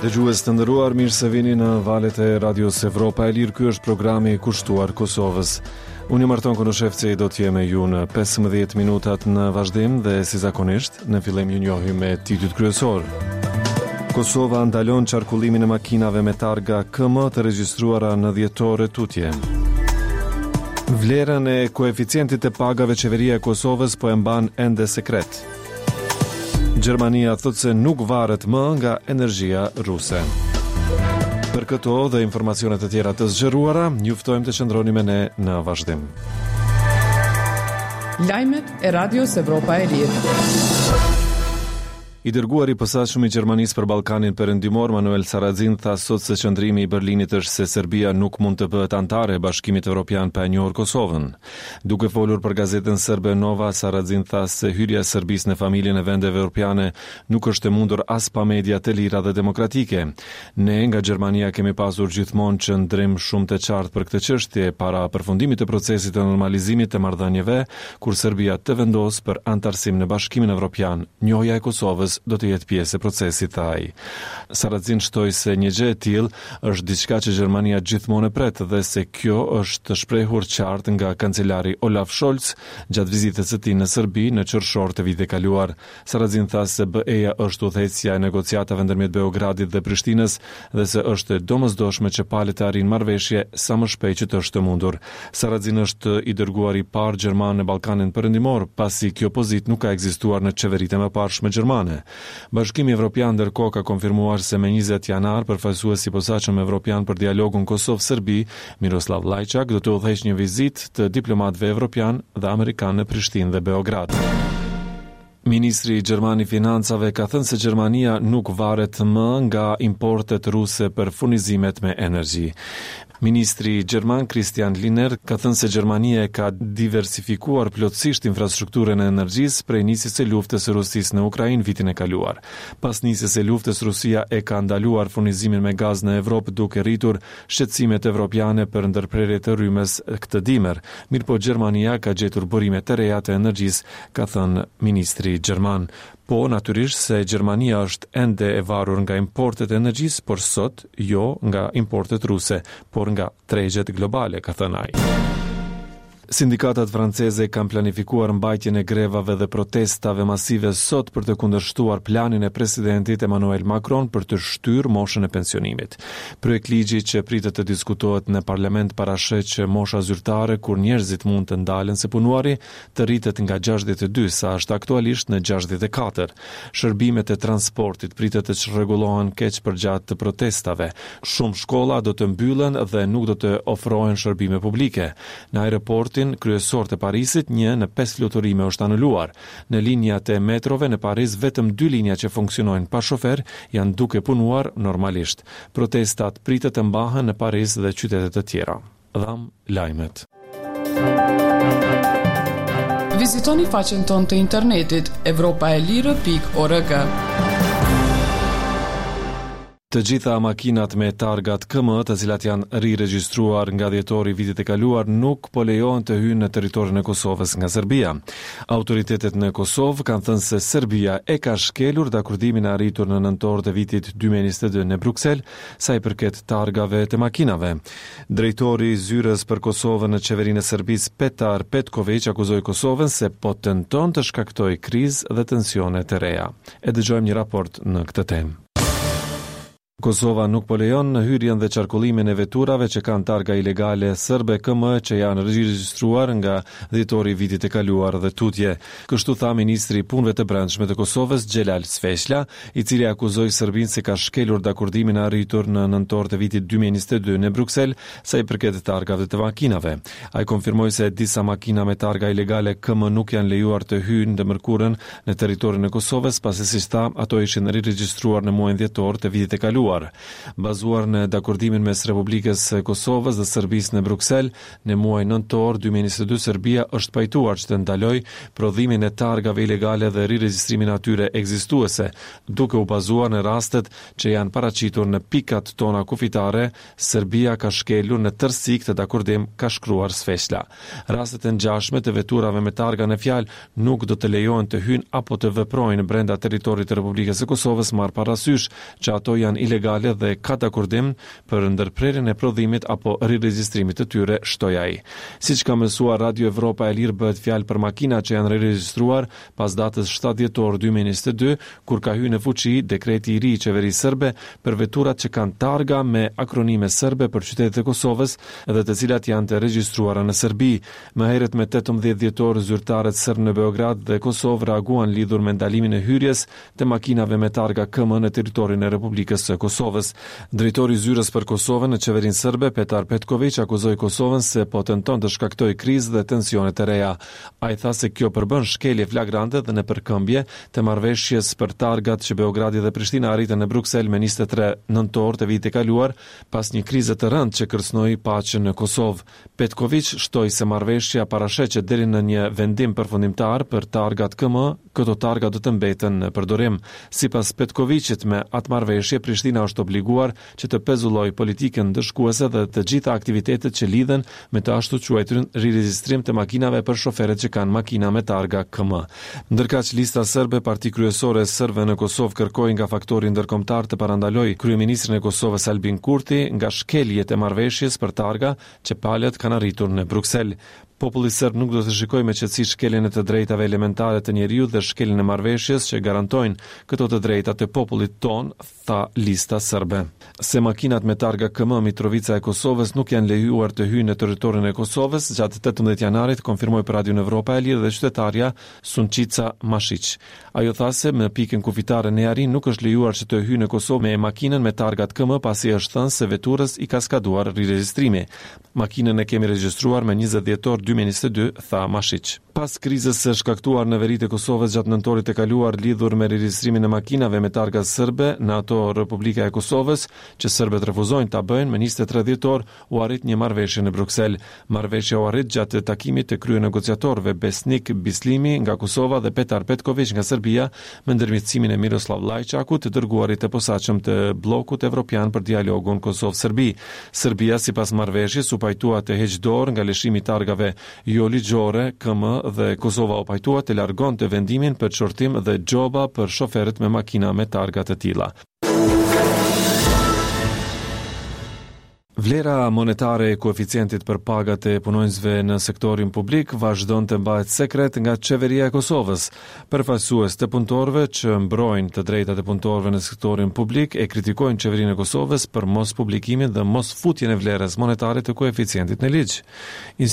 Dëgjues të nderuar, mirë se vini në valët e Radios Evropa e Lirë. Ky është programi kushtuar Kosovës. Unë jam Arton Konushevci, do të jem me ju në 15 minutat në vazhdim dhe si zakonisht, në fillim ju njohim me titujt kryesorë. Kosova ndalon qarkullimin e makinave me targa KM të regjistruara në dhjetor e tutje. Vlerën e koeficientit të pagave qeveria e Kosovës po e mban ende sekret. Gjermania thotë se nuk varet më nga energjia ruse. Për këto dhe informacione të tjera të zgjeruara, ju ftojmë të qëndroni me ne në vazhdim. Lajmet e Radios Evropa e Lirë. I dërguari i posaçëm i Gjermanisë për Ballkanin Perëndimor, Manuel Sarrazin, tha sot se qëndrimi i Berlinit është se Serbia nuk mund të bëhet anëtare e Bashkimit Evropian pa e njohur Kosovën. Duke folur për gazetën serbe Nova, Sarrazin tha se hyrja e Serbisë në familjen e vendeve evropiane nuk është e mundur as pa media të lira dhe demokratike. Ne nga Gjermania kemi pasur gjithmonë qëndrim shumë të qartë për këtë çështje para përfundimit të procesit të normalizimit të marrëdhënieve, kur Serbia të vendosë për anëtarësim në Bashkimin Evropian, njohja e Kosovës do të jetë pjesë e procesit, tha ai. Sarrazin shtoi se një gjë e tillë është diçka që Gjermania gjithmonë e pret dhe se kjo është shprehur qartë nga kancelari Olaf Scholz gjatë vizitës së tij në Serbi në qershor të vitit të kaluar. Sarrazin tha se BE-ja është udhëheqësja e negociatave ndërmjet Beogradit dhe Prishtinës dhe se është e domosdoshme që palët të arrijnë marrëveshje sa më shpejt që të është e mundur. Sarrazin është i dërguari i parë gjerman në Ballkanin Perëndimor, pasi kjo pozitë nuk ka ekzistuar në qeveritë e mëparshme gjermane. Bashkimi Evropian ndërkohë ka konfirmuar se me 20 janar përfaqësuesi i posaçëm evropian për dialogun Kosovë-Serbi, Miroslav Lajçak do të udhëheqë një vizitë të diplomatëve evropianë dhe amerikanë në Prishtinë dhe Beograd. Ministri gjerman i Financave ka thënë se Gjermania nuk varet më nga importet ruse për furnizimet me energji. Ministri gjerman Christian Lindner ka thënë se Gjermania e ka diversifikuar plotësisht infrastrukturën e energjisë prej nisjes së luftës së Rusisë në Ukrainë vitin e kaluar. Pas nisjes së luftës, Rusia e ka ndaluar furnizimin me gaz në Evropë duke rritur shqetësimet evropiane për ndërprerje të rrymës këtë dimër. Mirëpo Gjermania ka gjetur burime të reja të energjisë, ka thënë ministri gjerman. Po, natyrisht se Gjermania është ende e varur nga importet e energjisë, por sot jo nga importet ruse, por nga tregjet globale, ka thënë ai. Sindikatat franceze kanë planifikuar mbajtjen e grevave dhe protestave masive sot për të kundërshtuar planin e presidentit Emmanuel Macron për të shtyrë moshën e pensionimit. Projektligji që pritet të diskutohet në parlament parasheh që mosha zyrtare kur njerëzit mund të ndalen së punuari të rritet nga 62 sa është aktualisht në 64. Shërbimet e transportit pritet të çrregullohen keq përgjatë të protestave. Shumë shkolla do të mbyllen dhe nuk do të ofrohen shërbime publike. Në aeroportin kryesor të Parisit, një në pesë fluturime është anuluar. Në linjat e metrove në Paris vetëm dy linja që funksionojnë pa shofer janë duke punuar normalisht. Protestat pritet të mbahen në Paris dhe qytete të tjera. Dhamë lajmet. Vizitoni faqen tonë të internetit evropaelire.org. Të gjitha makinat me targat KM, të cilat janë riregjistruar nga dhjetori i vitit të kaluar, nuk po lejohen të hyjnë në territorin e Kosovës nga Serbia. Autoritetet në Kosovë kanë thënë se Serbia e ka shkelur dakordimin e arritur në nëntor të vitit 2022 në Bruksel, sa i përket targave të makinave. Drejtori i zyrës për Kosovën në qeverinë e Serbisë, Petar Petkoviq, akuzoi Kosovën se po tenton të shkaktojë krizë dhe tensione të reja. E dëgjojmë një raport në këtë temë. Kosova nuk po lejon hyrjen dhe qarkullimin e veturave që kanë targa ilegale serbe KM që janë regjistruar nga dhjetori i vitit të kaluar dhe tutje. Kështu tha ministri i Punëve të Brendshme të Kosovës, Xhelal Sveçla, i cili akuzoi Serbinë se ka shkelur dakordimin e arritur në nëntor të vitit 2022 në Bruksel sa i përket targave të makinave. Ai konfirmoi se disa makina me targa ilegale KM nuk janë lejuar të hyjnë të mërkurën në territorin e Kosovës, pasi siç tha, ato ishin riregjistruar në muajin dhjetor të vitit të kaluar. Bazuar në dakordimin mes Republikës së Kosovës dhe Serbisë në Bruksel, Në muajin nëntor 2022 Serbia është pajtuar që të ndalojë prodhimin e targave ilegale dhe riregjistrimin e atyre ekzistuese, duke u bazuar në rastet që janë paraqitur në pikat tona kufitare, Serbia ka shkelur në tërësi këtë dakordim, ka shkruar Sveçla. Rastet e ngjashme të veturave me targa në fjalë nuk do të lejohen të hyjnë apo të veprojnë brenda territorit të Republikës së Kosovës marrë parasysh që ato janë ilegale. ilegale dhe ka dakordim për ndërprerjen e prodhimit apo riregjistrimit të tyre, shtoi ai. Siç ka mësuar Radio Evropa e Lirë bëhet fjalë për makina që janë riregjistruar pas datës 7 dhjetor 2022, kur ka hyrë në fuqi dekreti i ri i qeverisë serbe për veturat që kanë targa me akronime serbe për qytetet e Kosovës dhe të cilat janë të regjistruara në Serbi. Më herët me 18 dhjetor zyrtarët serbë në Beograd dhe Kosovë reaguan lidhur me ndalimin e hyrjes të makinave me targa KM në territorin e Republikës së Kosovës. Drejtori i zyrës për Kosovën në qeverinë serbe, Petar Petkoviq, akuzoi Kosovën se po tenton të shkaktojë krizë dhe tensione të reja. Ai tha se kjo përbën shkelje flagrante dhe nëpërkëmbje të marrëveshjes për targat që Beogradi dhe Prishtina arritën në Bruksel me 23 nëntor të vitit të kaluar, pas një krize të rëndë që kërcënoi paqen në Kosovë. Petkoviq shtoi se marrëveshja parasheh që deri në një vendim përfundimtar për targat KM, këto targa do të mbeten në përdorim. Sipas Petkoviqit, me atë marrëveshje Prishtina është obliguar që të pezullojë politikën ndëshkuese dhe të gjitha aktivitetet që lidhen me të ashtuquajturin riregjistrim të makinave për shoferët që kanë makina me targa KM. Ndërkaq, Lista Serbe, parti kryesore e serbëve në Kosovë kërkoi nga faktori ndërkombëtar të parandalojë kryeministrin e Kosovës Albin Kurti nga shkeljet e marrëveshjes për targa që palët kanë arritur në Bruksel. Populli serb nuk do të shikojë me qetësi shkeljen e të drejtave elementare të njeriut dhe shkeljen e marrëveshjes që garantojnë këto të drejta të popullit tonë, tha Lista Serbe. Se makinat me targa KM Mitrovica e Kosovës nuk janë lejuar të hyjnë në territorin e Kosovës gjatë 18 janarit, konfirmoi për Radion Evropa e Lirë dhe qytetarja Sunçica Mashiq. Ajo tha se në pikën kufitare në Jarinë nuk është lejuar që të hyjë në Kosovë me makinën me targat KM pasi është thënë se veturës i ka skaduar riregjistrimi. Makinën e kemi regjistruar me 20 dhjetor 2022, tha Mashiq. Pas krizës së shkaktuar në veri të Kosovës gjatë nëntorit të kaluar lidhur me riregjistrimin e makinave me targa serbe në ato Republika e Kosovës, që serbët refuzojnë ta bëjnë, më 23 dhjetor u arrit një marrëveshje në Bruksel. Marrëveshja u arrit gjatë takimit të kryenegociatorëve Besnik Bislimi nga Kosova dhe Petar Petkoviq nga Serbia, me ndërmjetësimin e Miroslav Lajçakut, të dërguarit të posaçëm të bllokut evropian për dialogun Kosovë-Serbi. Serbia, sipas marrëveshjes, u pajtua të heqë dorë nga lëshimi i targave jo ligjore, KM dhe Kosova u pajtua të largonte vendimin për qortim dhe gjoba për shoferët me makina me targa të tilla. Vlera monetare e koeficientit për pagat e punonjësve në sektorin publik vazhdon të mbahet sekret nga Qeveria e Kosovës. Përfaqësues të punëtorëve që mbrojnë të drejtat e punëtorëve në sektorin publik e kritikojnë Qeverinë e Kosovës për mospublikimin dhe mosfutjen e vlerës monetare të koeficientit në ligj.